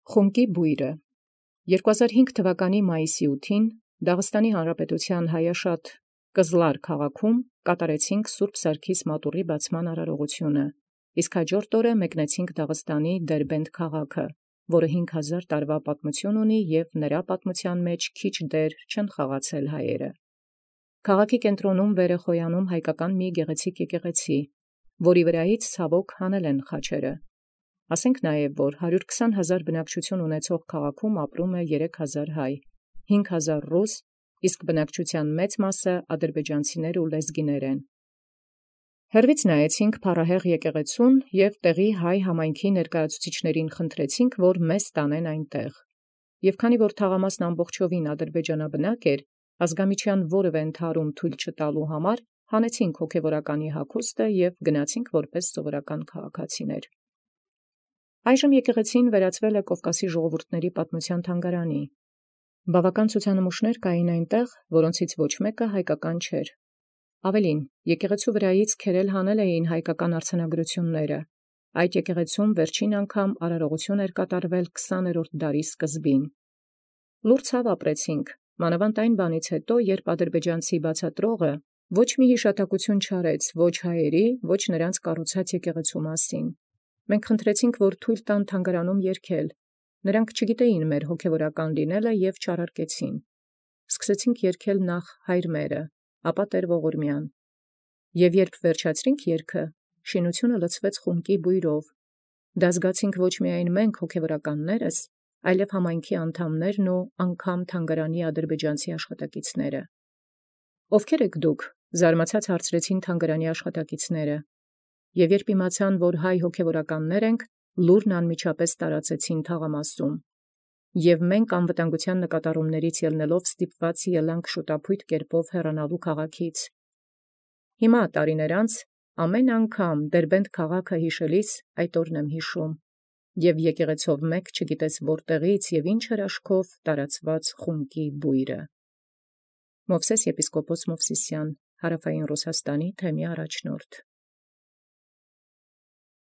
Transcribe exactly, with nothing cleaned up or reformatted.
Խումկի բույրը երկու հազար հինգ թվականի մայիսի ութին Դաղստանի Հանրապետության Հայաշատ Կզլար քաղաքում կատարեցինք Սուրբ Սարգիս մատուռի բացման արարողությունը, իսկ հաջորդ օրը մեկնեցինք Դաղստանի Դերբենդ քաղաքը, որը հինգ հազար տարվա պատմություն ունի և նրա պատմության մեջ քիչ դեր չեն խաղացել հայերը։ Քաղաքի կենտրոնում վեր է խոյանում հայկական մի գեղեցիկ եկեղեցի, որի վրայից ցավոք հանել են խաչերը։ Ասենք նաև, որ հարյուր քսան հազար բնակչություն ունեցող քաղաքում ապրում է երեք հազար հայ, հինգ հազար ռուս, իսկ բնակչության մեծ մասը ադրբեջանցիներ ու լեզգիներ են։ Հեռվից նայեցինք փառահեղ եկեղեցուն և տեղի հայ համայնքի ներկայացուցիչներին խնդրեցինք, որ մեզ տանեն այնտեղ։ Եվ քանի որ թաղամասն ամբողջովին ադրբեջանաբնակ էր, ազգամիչյան որևէ ընդհարում թույլ չտալու համար, հանեցինք հոգևորականի հագուստը և գնացինք որպես սովորական քաղաքացիներ։ Այժմ եկեղեցին վերածվել է Կովկասի ժողովուրդների պատմության թանգարանի։ Բավական ցուցանմուշներ կային այնտեղ, որոնցից ոչ մեկը հայկական չէր։ Ավելին, եկեղեցու վրայից քերել հանել էին հայկական արձանագրությունները։ Այդ եկեղեցում վերջին անգամ արարողություն էր կատարվել քսաներորդ դարի սկզբին։ Լուռ ցավ ապրեցինք, մանավանդ այն բանից հետո, երբ ադրբեջանցի բացատրողը ոչ մի հիշատակություն չարեց ոչ հայերի, ոչ նրանց կառուցած եկեղեցու մասին։ Մենք խնդրեցինք, որ թույլ տան թանգարանում երգել։ Նրանք չգիտեին մեր հոգևորական լինելը և չարարկեցին։ Սկսեցինք երգել նախ Հայր մերը, ապա Տեր Ողորմյան։ Եվ երբ վերջացրինք երգը, շինությունը լցվեց խումկի բույրով։ Դա զգացինք ոչ միայն մենք հոգևորականներս, այլև համայնքի անդամներն ու անգամ թանգարանի ադրբեջանցի աշխատակիցները։ Ովքե՞ր եք դուք, զարմացած հարցրեցին թանգարանի աշխատակիցները։ Եվ երբ իմացան, որ հայ հոգևորականներ ենք, լուրն անմիջապես տարածեցին թաղամասում։ Եվ մենք անվտանգության նկատառումներից ելնելով ստիպված ելանք շուտափույթ կերպով հեռանալու քաղաքից։ Հիմա տարիներ անց ամեն անգամ Դերբենդ քաղաքը հիշելիս այդ օրն եմ հիշում, և եկեղեցով մեկ չգիտես որտեղից և ինչ հրաշքով տարածված խումկի բույրը։ Մովսես եպիսկոպոս Մովսիսյան, Հարավային Ռուսաստանի թեմի առաջնորդ։